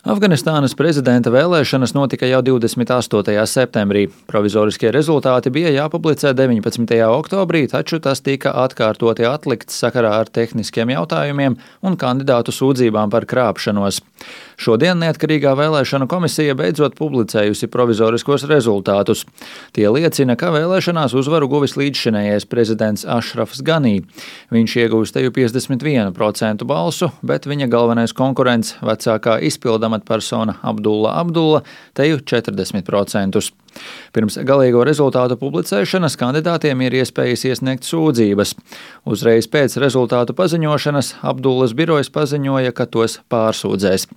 Afganistānas prezidenta vēlēšanas notika jau 28. septembrī. Provizoriskie rezultāti bija jāpublicē 19. oktobrī, taču tas tika atkārtoti atlikts sakarā ar tehniskiem jautājumiem un kandidātu sūdzībām par krāpšanos. Šodien neatkarīgā vēlēšanu komisija beidzot publicējusi provizoriskos rezultātus. Tie liecina, ka vēlēšanās uzvaru guvis līdzšinējais prezidents Ašrafs Ganī. Viņš ieguvis teju 51% balsu, bet viņa galvenais konkurents, vecākā izpildu amatpersona Abdulla teju 40%. Pirms galīgo rezultātu publicēšanas kandidātiem ir iespējas iesniegt sūdzības. Uzreiz pēc rezultātu paziņošanas Abdullas birojs paziņoja, ka tos pārsūdzēs.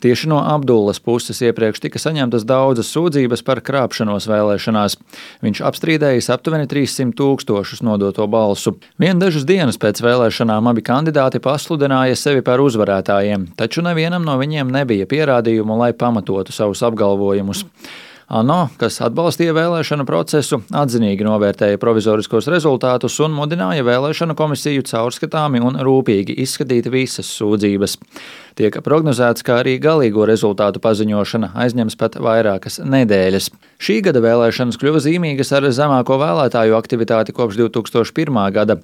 Tieši no Abdullas puses iepriekš tika saņemtas daudzas sūdzības par krāpšanos vēlēšanās. Viņš apstrīdējis aptuveni 300 000 nodoto balsu. Vien dažas dienas pēc vēlēšanām abi kandidāti pasludināja sevi par uzvarētājiem, taču nevienam no viņiem nebija pierādījumu, lai pamatotu savus apgalvojumus. ANO, kas atbalstīja vēlēšanu procesu, atzinīgi novērtēja provizoriskos rezultātus un mudināja vēlēšanu komisiju caurskatāmi un rūpīgi izskatīt visas sūdzības. Tiek prognozēts, ka arī galīgo rezultātu paziņošana aizņems pat vairākas nedēļas. Šī gada vēlēšanas kļuva zīmīgas ar zemāko vēlētāju aktivitāti kopš 2001. gada.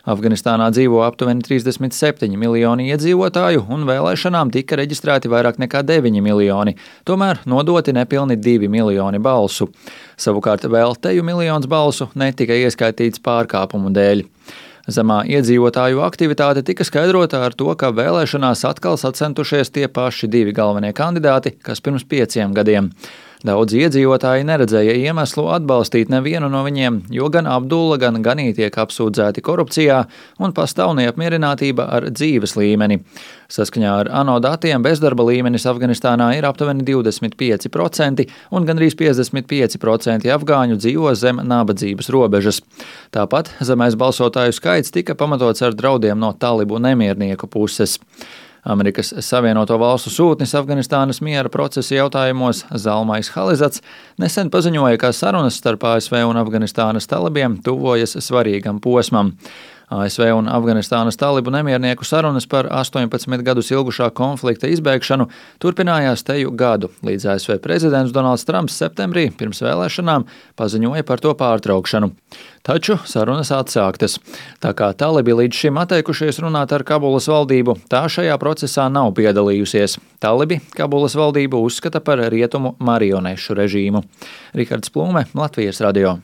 Afganistānā dzīvo aptuveni 37 miljoni iedzīvotāju, un vēlēšanām tika reģistrēti vairāk nekā 9 miljoni, tomēr nodoti nepilni 2 miljoni balsu. Savukārt vēl teju miljons balsu netika ieskaitīts pārkāpumu dēļ. Zemā iedzīvotāju aktivitāte tika skaidrota ar to, ka vēlēšanās atkal sacentušies tie paši divi galvenie kandidāti, kas pirms 5 gadiem. Daudzi iedzīvotāji neredzēja iemeslu atbalstīt nevienu no viņiem, jo gan Abdulla, gan Ganī tiek apsūdzēti korupcijā un pastāv neapmierinātība ar dzīves līmeni. Saskaņā ar ANO datiem bezdarba līmenis Afganistānā ir aptuveni 25% un gandrīz 55% afgāņu dzīvo zem nabadzības robežas. Tāpat zemais balsotāju skaits tika pamatots ar draudiem no talibu nemiernieku puses. Amerikas Savienoto Valstu sūtnis Afganistānas miera procesa jautājumos Zalmais Halizats nesen paziņoja, ka sarunas starp ASV un Afganistānas talibiem tuvojas svarīgam posmam. ASV un Afganistānas talibu nemiernieku sarunas par 18 gadus ilgušā konflikta izbēgšanu turpinājās teju gadu, līdz ASV prezidents Donalds Trumps septembrī pirms vēlēšanām paziņoja par to pārtraukšanu. Taču sarunas atsāktas. Tā kā talibi līdz šim atteikušies runāt ar Kabulas valdību, tā šajā procesā nav piedalījusies. Talibi Kabulas valdību uzskata par rietumu marionešu režīmu. Rihards Plūme, Latvijas radio.